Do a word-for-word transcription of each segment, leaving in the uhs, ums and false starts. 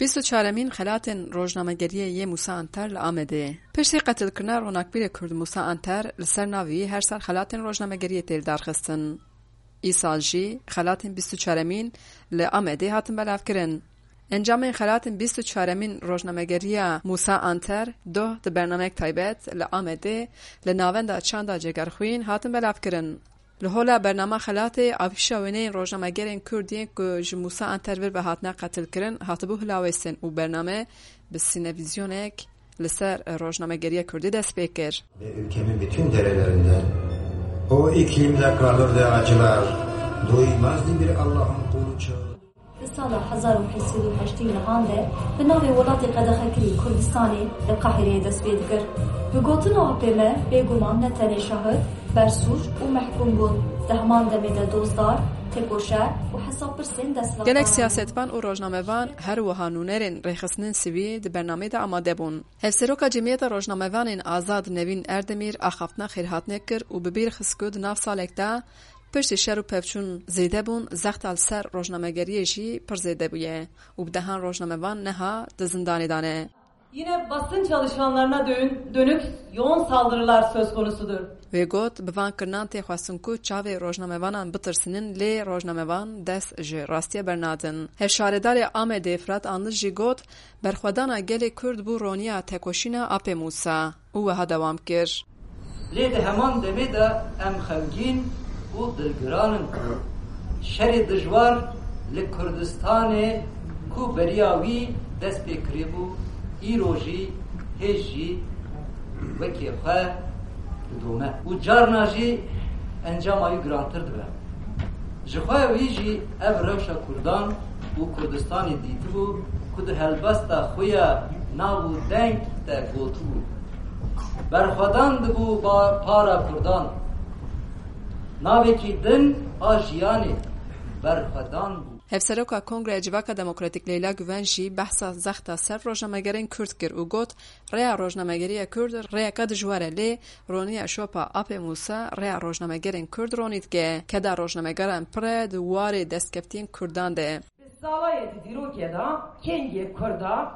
Bîst û çaremîn xelatên rojnamegeriyê yê Mûsa Anter li Amedê. Piştî qetilkirina ronakbîrê Kurd Mûsa Anter, li ser navî her sal xelatên rojnamegeriyê tê lidarxistin. Îsal jî xelatên bîst û çaremîn li Amedê hatin belavkirin. Encamên xelatên bîst û çaremîn rojnamegeriya Mûsa Anter, doh di bernameyek taybet li Amedê li Navenda Çanda Cegerxwîn hatin belavkirin. Li hola bernama xelatê, afîşa wêneyên rojnamegerên Kurd yên ku ji Mûsa Anter vir ve hatine qetilkirin hatibû hilawêstin û bername bi sînevîzyonek li ser rojnamegeriya Kurdî dest pê kir. Ve ülkemin bütün derelerinden o iklimde kalır ve acılar, doymaz bir Allah'ın kulu çağır. Di sala hezar û heşt sed û heştê nihan de bi navê welatê qedexekirî Kurdistanê li Qahireyê dest pê dikir. Bi gotina A P M bêguman ne tenê şahid, bersûc û mehkûm bûn. Di heman demê de dozdar, tekoşer û hesabpirsên desthilatdaran Gelek bûn. Siyasetvan û rojnamevan her wiha nûnerên rêxistinên sivî di bernameyê de amade bûn. Hevseroka Cemiyeta Rojnamevanên Azad Nevîn Erdemîr axaftina xêrhatinê kir û bi bîr xist ku di nav salek de piştî şer û pevçûn zêde bûn, zexta li ser rojnamegeriyê jî pir zêde bûye û bi dehan rojnamevan neha di zindanê de ne. Yine basın çalışanlarına dön- dönük yoğun saldırılar söz konusudur. Wê got, bi van kirinan tê xwestin ku çavê rojnamevanan bitirsînin, lê rojnamevan dest ji rastiye bernadin. Hevşaredarê Amedê Firat Anlı jî got, berxwedana gelê Kurd bû roniya tekoşîna Apê Mûsa û wiha dewam kir. Lê di heman demê de em xemgîn û dilgiran in ku şerê dijwar li Kurdistanê ku beriya wî dest pê kiribû, îro jî hêj jî wekî xwe didome û carna jî encama wî girantir dibe. Ji xwe wî jî ev rewşa Kurdan û Kurdistanê dîtibû ku di helbesta xwe ya nav û deng de gotibû, berxwedan dibû ba-, para Kurdan. Navekî din a jiyanê berxwedan bû. Hevseroka Kongreya Civaka Demokratîk Leyla Guven jî behsa zexta ser rojnamegerên Kurd kir û got, rêya rojnamegeriya Kurd rêyeke dijwar e, lê roniya şopa Apê Mûsa rêya rojnamegerên Kurd ronî dike. Keda rojnamegeran pir e di warê destkeftiyên Kurdan de. Di salayê di dîrokê de kengê Kurda,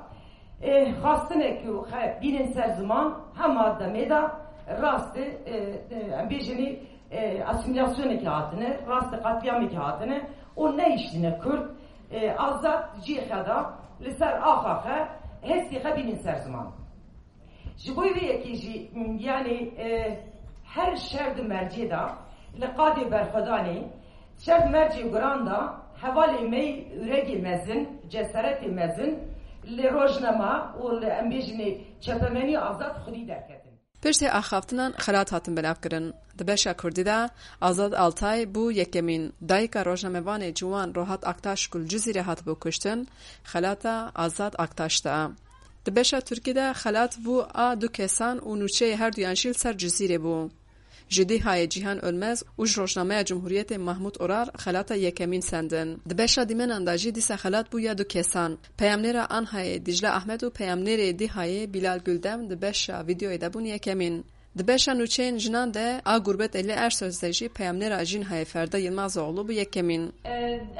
e, xwestine ku xe bînin ser ziman, hema demê de rastê, e, e, em bêjinî, e, asîmîlasyonekê hatine, rastê qetlîamekê hatine û neyiştine Kurd, e, azad cihê xwe de li ser axa xwe, hestê xwe bînin ser ziman. Ji bo vê yekê jî, m, yanî, e, her şer di mercê de, li qadê berxwedanê, şer di mercê guran de, hevalê me yî ûregê mezin, cesaretê mezin, li rojnama û li, em bêjinê, çepemenî azad xwedî derketin. Piştê axaftinan xelat hatin belavkirin. Di beşa Kurdî de Azad Altay bû yekemîn. Dayika rojnamevanê ciwan Rohat Aktaş ku li Cizîrê hatibû kuştin, xelata Azad Aktaş da. Di beşa Tirkî de xelat bû a du kesan û nûçeyê her duyan jî li ser Cizîrê bû. Ji Dîhayê Cîhan Ölmez û ji rojnameya Cumhuriyetê Mahmûd Oral xelata yekemîn sendin. Di beşa dîmenan de jî dîsa xelat bû ya du kesan. Peyamnêra Anhayê Dîcle Ahmed û peyamnêrê Dîhayê Bîlal Guldem di beşa vîdeoyê de bûn yekemîn. Di beşa nûçeyên jinan de a Gurbet Elî Ersoz de jî peyamnêra Jînhayê Ferda Yilmazoğlu bû yekemîn. E,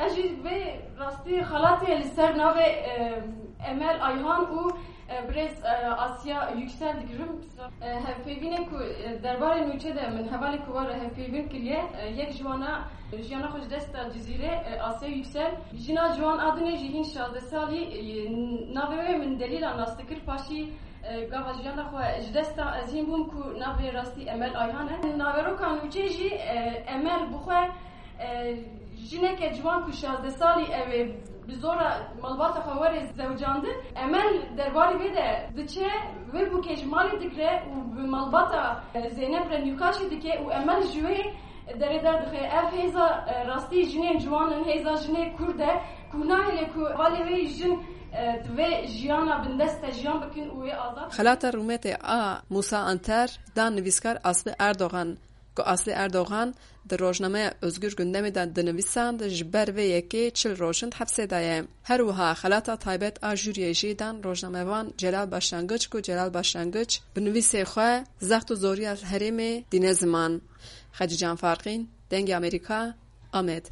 ez jî vê rastî xelatê li ser navê, e, Emel Ayhan û, e, birêz, e, Asya Yüksel digirim. E, hevpeyvînê ku, e, derbarê nûçe de min hevalê ku war hevpeyvîn kiriye, e, yek ji wana jiyana xwe ji desta Cizîrê, e, Asya Yüksel. Jina ciwan a dinê jî hîn şazdeh salî, e, navê wê min Delîla nas dikir, paşî E, gava jiyana xwe ji dest da, ez hîn bûm ku navê rastî Emel Ayhan e. Naveroka nûçe jî, e, Emel bi xwe, e, jineke ciwan ku şazdeh salî ew ê bi zora malbata xwe were zewcandin. Emel derbarê vê de diçe, wê bûkê ji malê digre û bi malbata, e, Zeynep re nîqaşê dike û Emel ji wê derê derdixe. Ev hêza, e, rastî jinên ciwan in, hêza jinê Kurd e ku nahêle ku hevalê wê jin, e, di vê jiyana bindest de jiyan bikin û wê azad bikin. Xelata rûmetê a Musa Anter dan nivîskar Aslı Erdoğan, ku Aslı Erdoğan di rojnameya Özgür Gündemê de dinivîsand, ji ber vê yekê çil roj in di hepsê de ye. Her wiha xelata taybet a jûriyê jî dan rojnamevan Celal Başlangıç, ku Celal Başlangıç bi nivîsê xwe zext û zoriya herêmê dîne ziman. Xecîcan Farqîn, Dengê Amerîka, Amed.